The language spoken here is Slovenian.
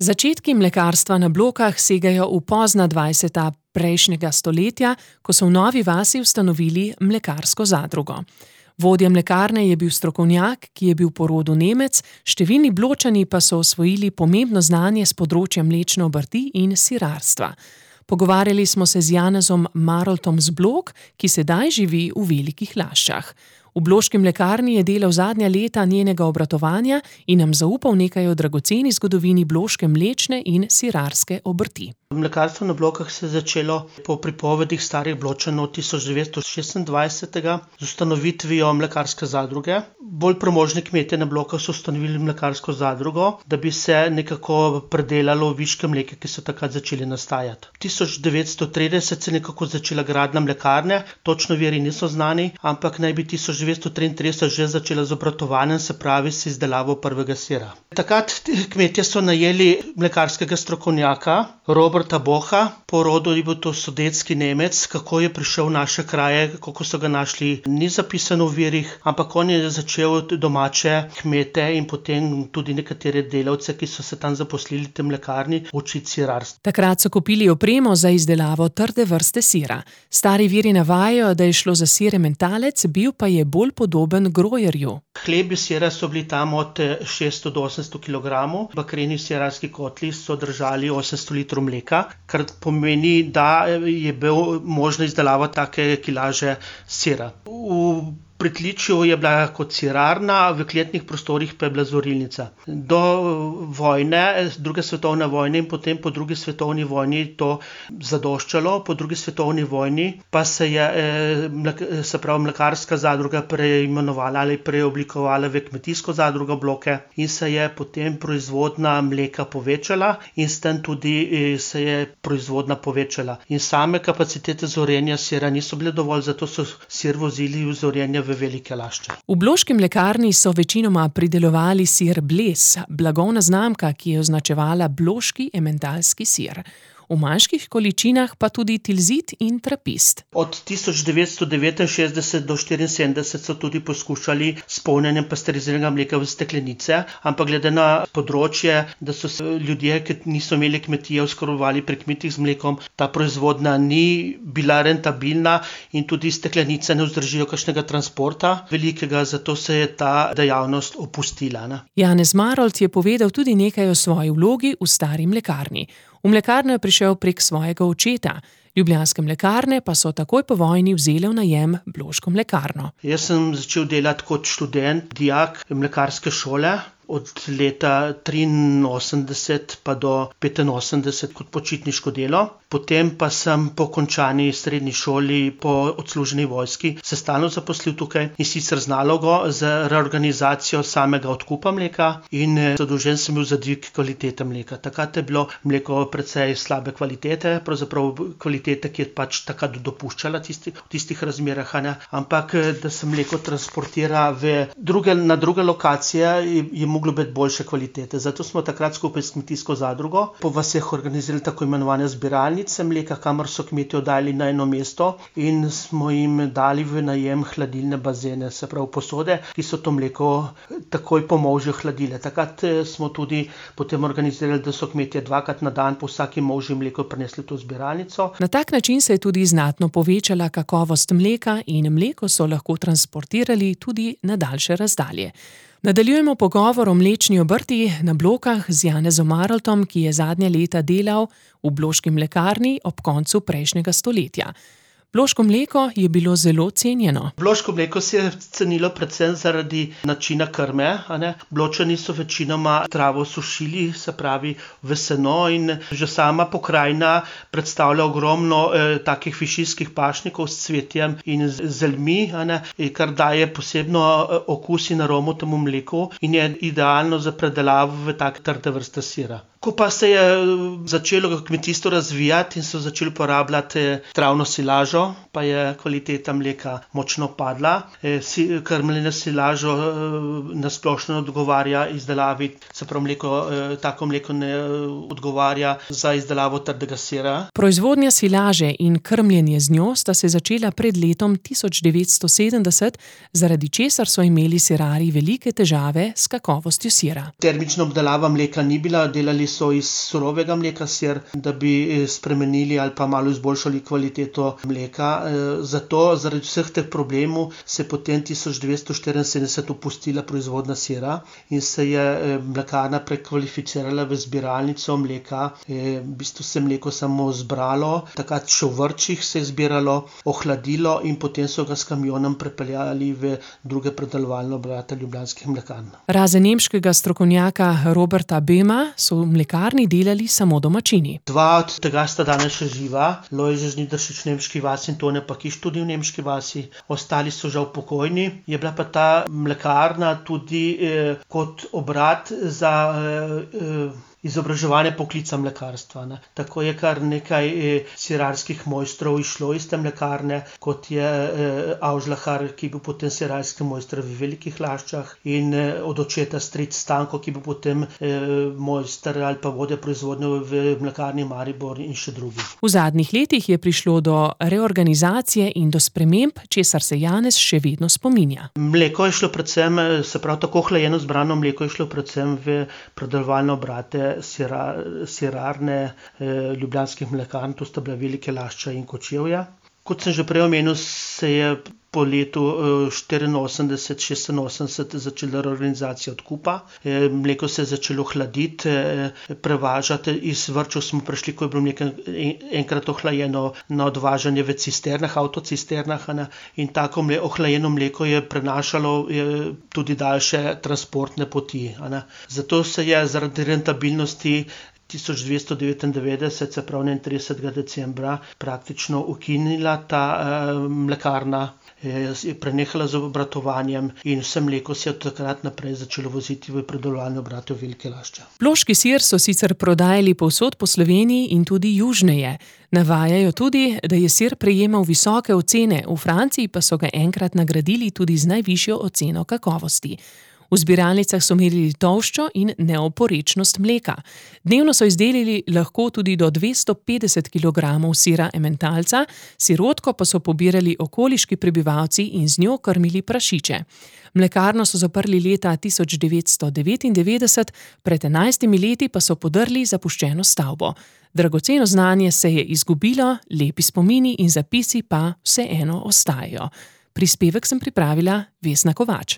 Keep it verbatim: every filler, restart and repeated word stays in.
Začetki mlekarstva na Blokah segajo v pozna dvajseta prejšnjega stoletja, ko so v Novi vasi ustanovili mlekarsko zadrugo. Vodja mlekarne je bil strokovnjak, ki je bil po rodu Nemec, številni Bločani pa so osvojili pomembno znanje s področja mlečne obrti in sirarstva. Pogovarjali smo se z Janezom Maroltom z Blok, ki sedaj živi v Velikih Laščah. V bloški mlekarni je delal zadnja leta njenega obratovanja in nam zaupal nekaj o dragoceni zgodovini bloške mlečne in sirarske obrti. Mlekarstvo na Blokah se je začelo po pripovedih starih Bločanov tisoč devetsto šestindvajset z ustanovitvijo mlekarske zadruge. Bolj premožni kmetje na Blokah so ustanovili mlekarsko zadrugo, da bi se nekako predelalo viške mleka, ki so takrat začeli nastajati. tisoč devetsto trideset se je nekako začela gradnja mlekarne, točno viri niso znani, ampak naj bi tisoč devetsto triintrideset že začela z obratovanjem, se pravi s izdelavo prvega sira. Takrat kmetje so najeli mlekarskega strokovnjaka, Roberta Boha, po rodu je bil to sudetski Nemec. Kako je prišel v naše kraje, kako so ga našli, ni zapisano v virih, ampak on je začel domače kmete in potem tudi nekatere delavce, ki so se tam zaposlili v tej mlekarni, učiti sirarstvo. Takrat so kupili opremo za izdelavo trde vrste sira. Stari viri navajajo, da je šlo za sir ementalec, bil pa je bolj podoben grojerju. Hlebi sira so bili tam od šeststo do osemsto kilogramov, bakreni sirarski kotli so držali osemsto litrov mleka, kar pomeni, da je bil možno izdelava take kilaže sira. V pritličju je bila kot sirarna, v kletnih prostorih pa je bila zorilnica. Do vojne, druge svetovne vojne in potem po drugi svetovni vojni to zadoščalo, po drugi svetovni vojni pa se je se pravi mlekarska zadruga preimenovala ali preoblikovala v kmetijsko zadrugo Bloke in se je potem proizvodnja mleka povečala in s tem tudi se je proizvodnja povečala. In same kapacitete zorenja sira niso bile dovolj, zato so sir vozili v zorenje v Velike Lašče. V bloški mlekarni so večinoma pridelovali sir Bles, blagovna znamka, ki je označevala bloški ementalski sir. V manjših količinah pa tudi tilzit in trapist. Od tisoč devetsto devetinšestdeset do štiriinsedemdeset so tudi poskušali s polnjenjem pasteriziranega mleka v steklenice, ampak glede na področje, da so se ljudje, ki niso imeli kmetije, oskrbovali pri kmetih z mlekom, ta proizvodnja ni bila rentabilna in tudi steklenice ne vzdržijo kakšnega transporta velikega, zato se je ta dejavnost opustila. Ne? Janez Marolt je povedal tudi nekaj o svoji vlogi v stari mlekarni. V mlekarno je prišel prek svojega očeta. Ljubljanske mlekarne pa so takoj po vojni vzele v najem bloško mlekarno. Jaz sem začel delati kot študent, dijak mlekarske šole. Od leta triinosemdeset pa do petinosemdeset kot počitniško delo. Potem pa sem po končani srednji šoli, po odsluženi vojski, se stalno zaposlil tukaj in sicer z nalogo za reorganizacijo samega odkupa mleka in zadolžen sem bil za dvig kvalitete mleka. Takrat je bilo mleko precej slabe kvalitete, pravzaprav kvalitete, ki je pač takrat dopuščala tisti, v tistih razmerah, ne? Ampak da se mleko transportira v druge, na druge lokacije, je, je moglo biti boljše kvalitete. Zato smo takrat skupaj s kmetijsko zadrugo po vaseh organizirali tako imenovane zbiralnice mleka, kamor so kmetje oddali na eno mesto in smo jim dali v najem hladilne bazene, se pravi posode, ki so to mleko takoj po molžju hladile. Takrat smo tudi potem organizirali, da so kmetje dvakrat na dan po vsaki molžji mleko prinesli to zbiralnico. Na tak način se je tudi znatno povečala kakovost mleka in mleko so lahko transportirali tudi na daljše razdalje. Nadaljujemo pogovor o mlečni obrti na Blokah z Janezom Maroltom, ki je zadnja leta delal v bloški mlekarni ob koncu prejšnjega stoletja. Bloško mleko je bilo zelo cenjeno. Bloško mleko se je cenilo predvsem zaradi načina krme. A ne? Bločani so večinoma travo sušili, se pravi v seno in že sama pokrajina predstavlja ogromno eh, takih višinskih pašnikov s cvetjem in zelmi, a ne? Kar daje posebno okus in aromo temu mleku in je idealno za predelavo v take trde vrste sira. Ko pa se je začelo kmetijstvo razvijati in so začeli uporabljati travno silažo, silažo pa je kvaliteta mleka močno padla. Krmljenje s silažo na splošno odgovarja izdelavi, se pravi mleko, tako mleko ne odgovarja za izdelavo trdega sira. Proizvodnja silaže in krmljenje z njo sta se začela pred letom tisoč devetsto sedemdeset, zaradi česar so imeli sirarji velike težave s kakovostjo sira. Termična obdelava mleka ni bila, delali so iz surovega mleka sir, da bi spremenili ali pa malo izboljšali kvaliteto mleka. Zato zaradi vseh teh problemov se potem tisoč devetsto štiriinsedemdeset opustila proizvodnja sira in se je mlekarna prekvalificirala v zbiralnico mleka. V bistvu se mleko samo zbralo, takrat še v vrčih se je zbiralo, ohladilo in potem so ga s kamionom prepeljali v druge predelovalne obrate ljubljanskih mlekarn. Razen nemškega strokovnjaka Roberta Böhma so v mlekarni delali samo domačini. Dva od tega sta danes še živa, Lojze Žnidaršič v Nemški vasi in Tone Pakiš tudi v Nemški vasi. Ostali so žal pokojni. Je bila pa ta mlekarna tudi eh, kot obrat za eh, izobraževanje poklica mlekarstva. Ne. Tako je kar nekaj eh, sirarskih mojstrov išlo iz te mlekarne, kot je eh, Avžlahar, ki je bil potem sirarski mojster v Velikih Laščah, in eh, od očeta stric Stanko, ki je bil potem eh, mojster ali pa vodja proizvodnje v mlekarni Maribor in še drugi. V zadnjih letih je prišlo do reorganizacije in do sprememb, česar se Janez še vedno spominja. Mleko je šlo predvsem, se pravi tako hlajeno zbrano mleko je šlo predvsem v predelovalne obrate Sira, sirarne eh, ljubljanskih mlekarn, to sta bila Velike Lašča in Kočevja. Kot sem že prej omenil, se je po letu štiriinosemdeset šestinosemdeset začela reorganizacija odkupa. E, mleko se je začelo hladiti, e, prevažati. Iz vrčev smo prišli, ko je bilo mleko enkrat ohlajeno, na odvažanje v cisternah, avtocisternah. Ne? In tako mle, ohlajeno mleko je prenašalo je, tudi daljše transportne poti. Ne? Zato se je zaradi rentabilnosti tisoč dvesto devetindevetdeset, se pravi enaintridesetega decembra, praktično ukinila ta e, mlekarna. Je prenehala z obratovanjem in vse mleko se je od takrat naprej začelo voziti v predelovalne obrate v Velike Lašče. Loški sir so sicer prodajali povsod po Sloveniji in tudi južneje. Navajajo tudi, da je sir prejemal visoke ocene, v Franciji pa so ga enkrat nagradili tudi z najvišjo oceno kakovosti. V zbiralnicah so merili tolščo in neoporečnost mleka. Dnevno so izdelali lahko tudi do dvesto petdeset kilogramov sira ementalca, sirotko pa so pobirali okoliški prebivalci in z njo krmili prašiče. Mlekarno so zaprli leta tisoč devetsto devetindevetdeset, pred enajstimi leti pa so podrli zapuščeno stavbo. Dragoceno znanje se je izgubilo, lepi spomini in zapisi pa vseeno ostajajo. Prispevek sem pripravila Vesna Kovač.